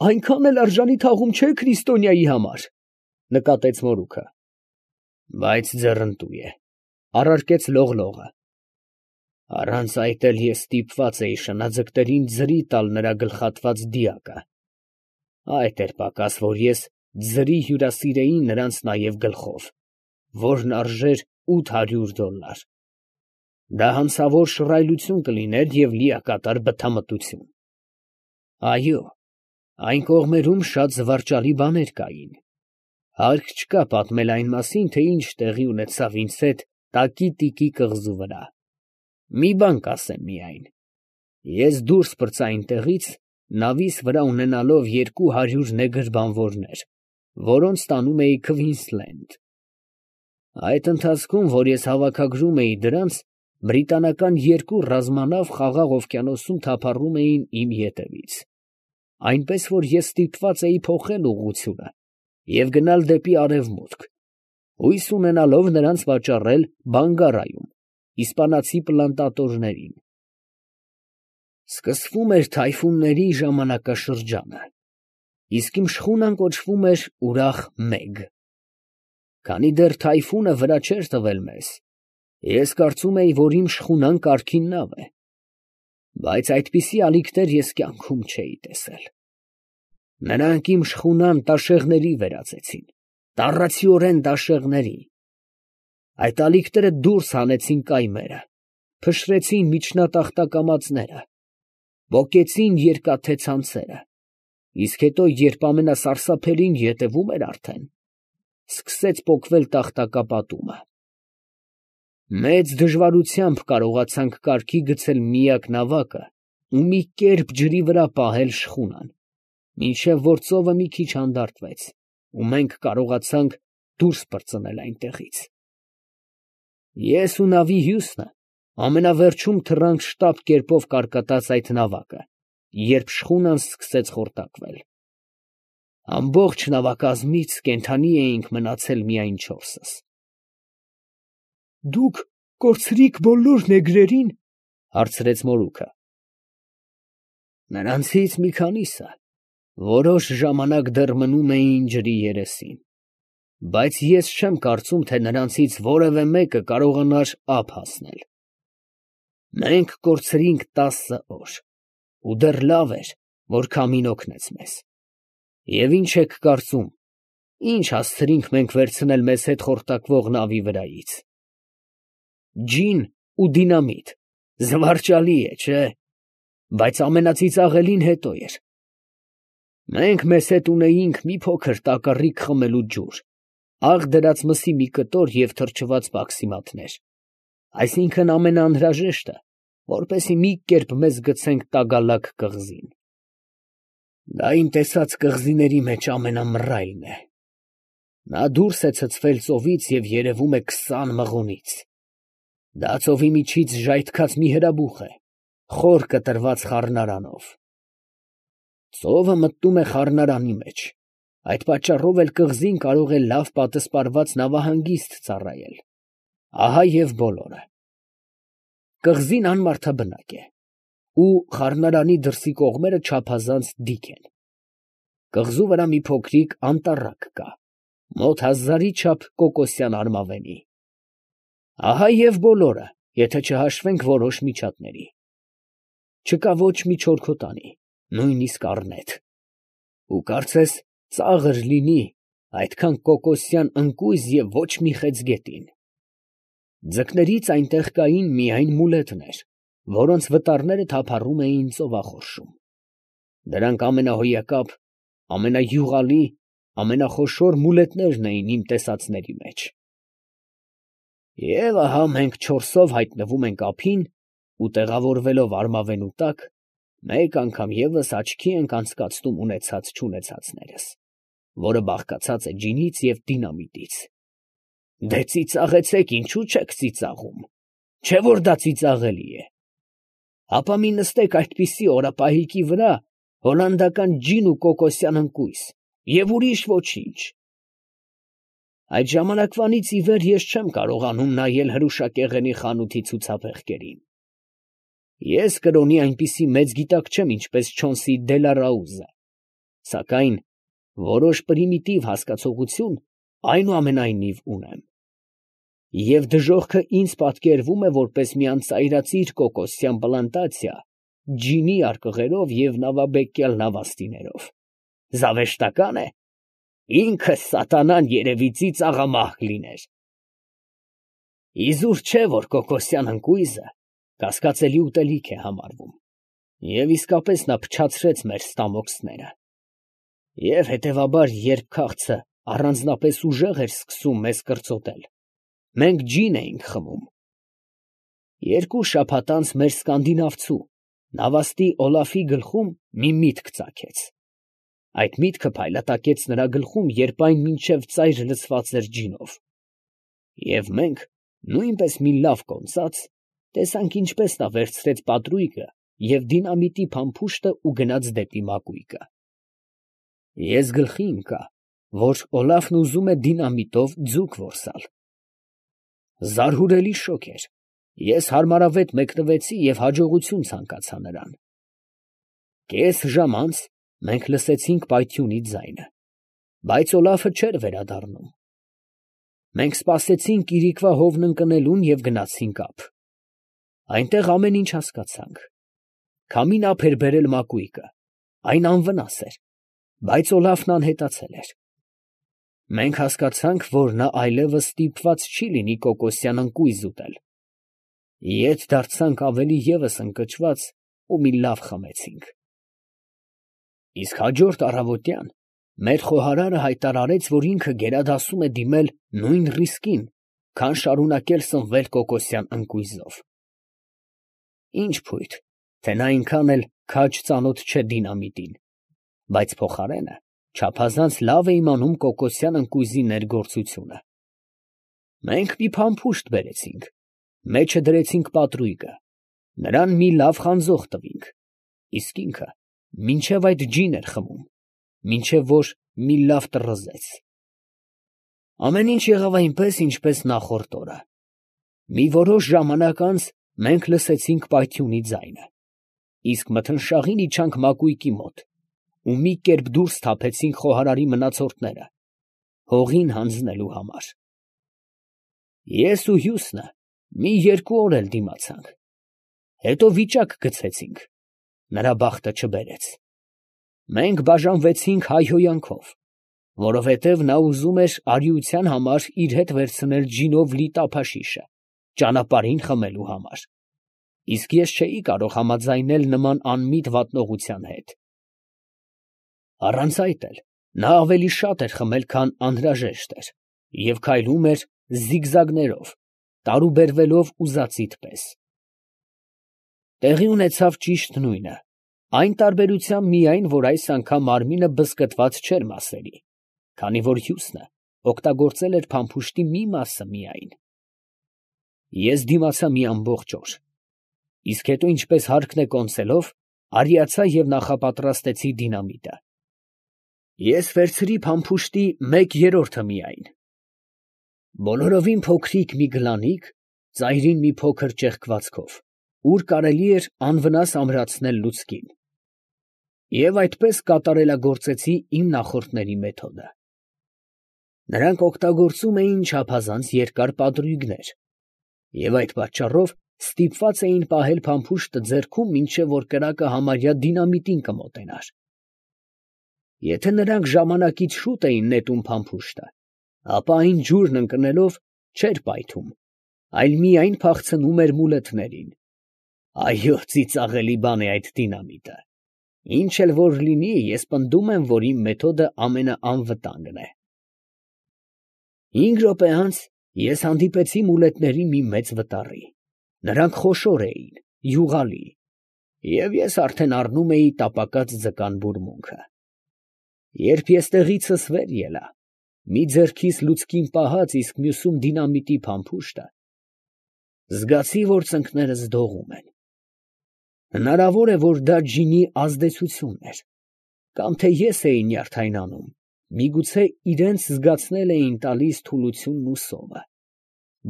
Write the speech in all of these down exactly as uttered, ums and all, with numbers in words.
այնքան էլ արժանի թաղում չէ քրիստոնյայի համար, ֊ նկատեց մորուքը։ ֊ Բայց ձեռնտու է, ֊ առարկեց Լողլողը։ ֊ Առանց այդ էլ ես ստիպված էի շնաձկներին ձրի տալ նրա գլխատված դիակը. այդ էր պակաս, որ ես ձրի հյուրասիրեի նրանց նաև գլխով, որն արժեր ութ հարյուր դոլլար. դա հանցավոր շռայլություն կլիներ և լիակատար բթամտություն։ Այո, այն կողմերում շատ զվարճալի բաներ կային. հարկ չկա պատմել այն մասին, թե ինչ տեղի ունեցավ ինձ հետ Տակի֊Տիկի կղզու վրա։ Մի բան կասեմ միայն. ես դուրս պրծա այնտեղից, նավիս վրա ունենալով երկու հարյուր նեգր բանվորներ, որոնց տանում էի Քվինսլենդ։ Այդ ընթացքում, որ ես հավաքագրում էի դրանց, բրիտանական երկու ռազմանավ Խաղաղ օվկիանոսում թափառում էին իմ ետևից, այնպես որ ես ստիպված էի փոխել ուղղությունը և գնալ դեպի արևմուտք, հույս ունենալով նրանց վաճառել Բանգարայում իսպանացի պլանտատորներին։ Սկսվում էր թայֆունների ժամանակաշրջանը, իսկ իմ շխունան կոչվում էր ուրախ մեկ։ Քանի դեռ թայֆունը վրա չէր տվել մեզ, ես կարծում էի, որ իմ շխունան կարգին նավ է, բայց այդպիսի ալիքներ ես կյանքում չէի տեսել։ Նրանք իմ շխունան տաշեղների վերածեցին, տառացիորեն տաշեղների։ Այդ ալիքները դուրս հանեցին կայմերը, փշրեցին միջնատախտակամածները, պոկեցին երկաթե ցանցերը, իսկ հետո, երբ ամենասարսափելին ետևում էր արդեն, սկսեց պոկվել տախտակապատումը։ Մեծ դժվարությամբ կարողացանք կարգի գցել միակ նավակը ու մի կերպ ջրի վրա պահել շխունան, մինչև որ ծովը մի քիչ հանդարտվեց, ու մենք կարողացանք դուրս պրծնել այնտեղից։ Ես ու նավի հյուսն ամենավերջում թռանք շտապ կերպով կարկատած այդ նավակը, երբ շխունան սկսեց խորտակվել։ Ամբողջ նավակազմից կենդանի էինք մնացել միայն չորսս։ ֊ Դուք կորցրիք բոլոր նեգրերին, ֊ հարցրեց մորուքը։ ֊ Նրանցից մի քանիսը որոշ ժամանակ դեռ մնում էին ջրի երեսին, բայց ես չեմ կարծում, թե նրանցից որևէ մեկը կարողանար ափ հասնել։ Մենք կորցրինք տասը օր, ու դեռ լավ էր, որ քամին օգնեց մեզ։ Եվ ինչ եք կարծում, ինչ հասցրինք մենք վերցնել մեզ հետ խորտակվող նավի վրայից։ Ջին ու դինամիտ, զվարճալի է, չէ՞, բայց ամենածիծաղելին հետո էր։ Մենք մեզ հետ ունեինք մի փոքր տակառիկ խմելու ջուր, աղ դրած մսի մի կտոր և թրջված պաքսիմատներ, այսինքն ամենաանհրաժեշտը, որպեսզի մի կերպ մեզ գցենք Տագալակ կղզին։ Դա իմ տեսած կղզիների մեջ ամենամռայլն է։ Նա դուրս է ցցվել ծովից և երևում է քսան մղոնից։ Դա ծովի միջից ժայթքած մի հրաբուխ է, խոր կտրված խառնարանով։ Ծովը մտնում է խառնարանի մեջ, այդ պատճառով էլ կղզին կարող է լավ պատսպարված նավահանգիստ ծառայել։ Ահա և բոլորը։ Կղզին անմարդաբնակ է, ու խառնարանի դրսի կողմերը չափազանց դիք են։ Կղզու վրա մի փոքրիկ անտառակ կա, մոտ հազարի չափ կոկոսյան արմավենի։ Ահա և բոլորը, եթե չհաշվենք որոշ միջատների։ Չկա ոչ մի չորքոտանի, նույնիսկ առնետ։ Ու կարծես ծաղր լինի այդքան կոկոսյան ընկույզ և ոչ մի խեցգետին։ Ձկներից այնտեղ կային միայն մուլետներ, որոնց վտարները թափառում էին ծովախորշում։ Դրանք ամենահոյակապ, ամենայուղալի, ամենախոշոր մուլետներն էին իմ տեսածների մեջ։ Եվ ահա մենք չորսով հայտնվում ենք ափին ու տեղավորվելով արմավենու տակ, մեկ անգամ ևս աչքի ենք անցկացնում ունեցած֊չունեցածներս, որը բաղկացած է ջինից և դինամիտից։ Դե ծիծաղեցեք, ինչու չեք ծիծաղում, չէ՞ որ դա ծիծաղելի է։ Հապա մի նստեք այդպիսի օրապահիկի վրա, հոլանդական ջին ու կոկոսյան ընկույզ, և ուրիշ ոչինչ։ Այդ ժամանակվանից ի վեր ես չեմ կարողանում նայել հրուշակեղենի խանութի ցուցափեղկերին։ Ես կրոնի այնպիսի մեծ գիտակ չեմ, ինչպես Չոնսի Դելարաուզը, սակայն որոշ պրիմիտիվ հասկացողություն այնուամենայնիվ ունեմ։ Եվ դժոխքը ինձ պատկերվում է որպես մի անծայրածիր կոկոսյան պլանտացիա, ջինի արկղերով և նավաբեկյալ նավաստիներով։ Զավեշտական է, ինքը սատանան երևի ծիծաղամահ լիներ։ Իզուր չէ, որ կոկոսյան ընկույզը կասկածելի ուտելիք է համարվում, և իսկապես նա փչացրեց մեր ստամոքսները։ Եվ հետևաբար, երբ քաղցը առանձնապես ուժեղ էր սկսում մեզ կրծոտել, մենք ջին էինք խմում։ Երկու շաբաթ անց մեր սկանդինավցու, նավաստի Օլաֆի գլխում մի միտք ծագեց։ Այդ միտքը փայլատակեց նրա գլխում, երբ այն մինչև ծայր լցված էր ջինով։ Եվ մենք, նույնպես մի լավ կոնծած, տեսանք ինչպես նա վերցրեց պատրույգը և դինամիտի փամփուշտը ու գնաց դեպի մակույկը։ Ես գլխի ընկա, որ Օլաֆն ուզում է դինամիտով ձուկ որսալ։ Զարհուրելի շոկ էր, ես հարմարավետ մեկնվեցի և հաջողություն ցանկացա նրան։ Կես ժամ անց մենք լսեցինք պայթյունի ձայնը, բայց Օլաֆը չէր վերադառնում։ Մենք սպասեցինք իրիկվա հովն ընկնելուն և գնացինք ափ։ Այնտեղ ամեն ինչ հասկացանք։ Քամին ափ էր բերել մակույկը, այն անվնաս էր, բայց Օլաֆն անհետացել էր։ Մենք հասկացանք, որ նա այլևս ստիպված չի լինի կոկոսյան ընկույզ ուտել։ Ետ դարձանք ավելի ևս ընկճված ու մի լավ խմեցինք։ Իսկ հաջորդ առավոտյան մեր խոհարարը հայտարարեց, որ ինքը գերադասում է դիմել նույն ռիսկին, քան շարունակել սնվել կոկոսյան ընկույզով։ Ինչ փույթ, թե նա այնքան էլ քաջ ծանոթ չէ դինամիտին, բայց փոխարենը չափազանց լավ է իմանում կոկոսյան ընկույզի ներգործությունը։ Մենք մի փամփուշտ բերեցինք, մեջը դրեցինք պատրույգը, նրան մի լավ խանձող տվինք, իսկ ինքը մինչև այդ ջին էր խմում, մինչև որ մի լավ տռզեց։ Ամեն ինչ եղավ այնպես, ինչպես նախորդ օրը։ Մի որոշ ժամանակ անց մենք լսեցինք պայթյունի ձայնը, իսկ մթնշաղին իջանք մակույկի մոտ ու մի կերպ դուրս թափեցինք խոհարարի մնացորդները, հողին հանձնելու համար։ Ես ու Հյուսնը մի երկու օր էլ դիմացանք, հետո վիճակ գցեցինք, նրա բախտը չբերեց։ Մենք բաժանվեցինք հայհոյանքով, որովհետև նա ուզում էր արիության համար իր հետ վերցնել ջինով լի տափաշիշը, ճանապարհին խմելու համար, իսկ ես չէի կարող համաձայնել նման անմիտ վատնողության հետ։ Առանց այդ էլ նա ավելի շատ էր խմել, քան անհրաժեշտ էր, և քայլում էր զիգզագներով, տարուբերվելով ուզածիդ պես։ Տեղի ունեցավ ճիշտ նույնը, այն տարբերությամբ միայն, որ այս անգամ մարմինը բզկտված չէր մասերի, քանի որ Հյուսնը օգտագործել էր փամփուշտի մի մասը միայն։ Ես դիմացա մի ամբողջ օր, իսկ հետո, ինչպես հարկն է կոնսելով, արիացա և նախապատրաստեցի դինամիտը։ Ես վերցրի փամփուշտի մեկ երրորդը միայն։ Բոլորովին փոքրիկ մի գլանիկ, ծայրին մի փոքր ճեղքվածքով, ուր կարելի էր անվնաս ամրացնել լուցկին։ Եվ այդպես կատարելագործեցի իմ նախորդների մեթոդը։ Նրանք օգտագործում էին չափազանց երկար պատրույգներ, և այդ պատճառով ստիպված էին պահել փամփուշտը ձեռքում, մինչև որ կրակը համարյա դինամիտին կմոտենար։ Եթե նրանք ժամանակից շուտ էին նետում փամփուշտը, ապա այն ջուրն ընկնելով չէր պայթում, այլ միայն փախցնում էր մուլետներին։ Այո, ծիծաղելի բան է այդ դինամիտը։ Ինչ էլ որ լինի, ես պնդում եմ, որ իմ մեթոդը ամենաանվտանգն է։ Հինգ րոպե անց ես հանդիպեցի մուլետների մի մեծ վտարի։ Նրանք խոշոր էին, յուղալի, և ես արդեն առնում էի տապակած ձկան բուրմունքը։ Երբ ես տեղիցս վեր ելա, մի ձեռքիս լուցկին պահած, իսկ մյուսում դինամիտի փամփուշտը, զգացի, որ ծնկներս դողում են։ Հնարավոր է, որ դա ջինի ազդեցությունն էր, կամ թե ես էի նյարդայնանում, միգուցե իրենց զգացնել էին տալիս թուլությունն ու սովը,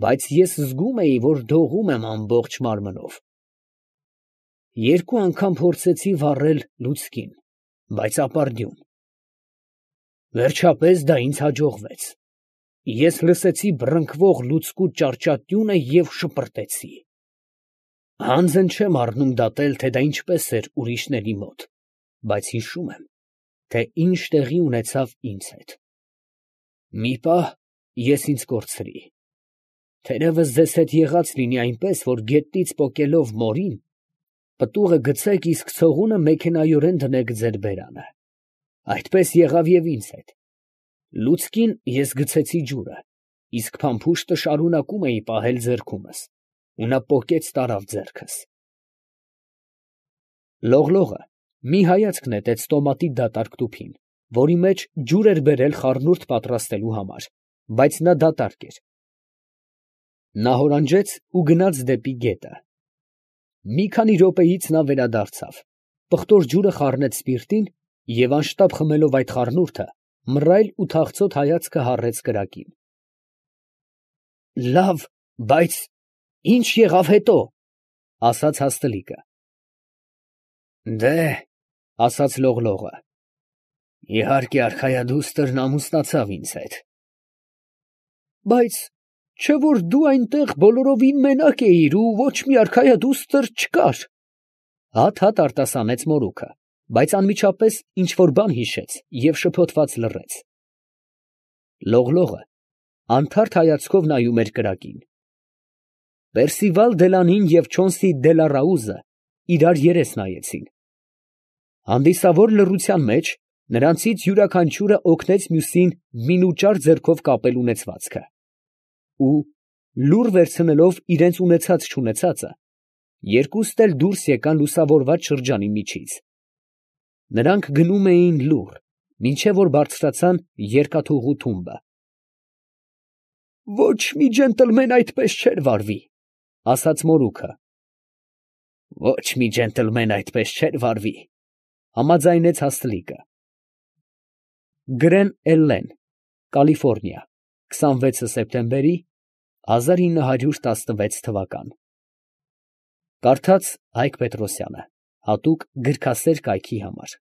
բայց ես զգում էի, որ դողում եմ ամբողջ մարմնով։ Երկու անգամ փորձեցի վառել լուցկին, բայց ապարդյուն, Վերջապես դա ինձ հաջողվեց։ Ես լսեցի բռնկվող լուցկու ճարճատյունը և շպրտեցի։ Հանձն չեմ առնում դատել, թե դա ինչպես էր ուրիշների մոտ, բայց հիշում եմ, թե ինչ տեղի ունեցավ ինձ հետ։ Մի պահ ես ինձ կորցրի։ Թերևս ձեզ հետ եղած լինի այնպես, որ գետնից պոկելով մորին, պտուղը գցեք, իսկ ցողունը մեքենայորեն դնեք ձեր բերանը։ Այդպես եղավ և ինձ հետ։ Լուցկին ես գցեցի ջուրը, իսկ փամփուշտը շարունակում էի պահել ձեռքումս, ու նա պոկեց տարավ ձեռքս։ Լողլողը մի հայացք նետեց տոմատի դատարկ տուփին, որի մեջ ջուր էր բերել խառնուրդ պատրաստելու համար, բայց նա դատարկ էր։ Նա հորանջեց ու գնաց դեպի գետը։ Մի քանի րոպեից նա վերադարձավ, պղտոր ջուրը խառնեց սպիրտին և անշտապ խմելով այդ խառնուրդը, մռայլ ու թախծոտ հայացքը հառեց կրակին։ «Լավ, բայց ի՞նչ եղավ հետո», ֊ ասաց հաստլիկը։ «Դե, ֊ ասաց Լողլողը, ֊ իհարկե արքայադուստրն ամուսնացավ ինձ հետ»։ «Բայց չէ՞ որ դու այնտեղ բոլորովին մենակ էիր ու ոչ մի արքայադուստր չկար», ֊ հատ֊հատ արտասանեց մորուքը, բայց անմիջապես ինչ֊որ բան հիշեց և շփոթված լռեց։ Լողլողը անթարթ հայացքով նայում էր կրակին։ Պերսիվալ Դելանին և Չոնսի Դելառաուզը իրար երես նայեցին։ Հանդիսավոր լռության մեջ նրանցից յուրաքանչյուրը օգնեց մյուսին մինուճար ձեռքով կապել ունեցվածքը, ու, լուռ վերցնելով իրանց ունեցած֊չունեցածը, երկուստ էլ դուրս եկան լուսավորված շրջանի միջից։ Նրանք գնում էին լուռ, մինչև որ բարձրացան երկաթուղու թումբը։ «Ոչ մի ջենտլմեն այդպես չէր վարվի», ֊ ասաց մորուքը։ «Ոչ մի ջենտլմեն այդպես չէր վարվի», ֊ համաձայնեց հաստլիկը։ Գրեն Էլլեն, Կալիֆոռնիա, քսանվեցը սեպտեմբերի հազար ինը հարյուր տասնվեց թվական։ Կարդաց Հայկ Պետրոսյանը, հատուկ գրքասեր կայքի համար։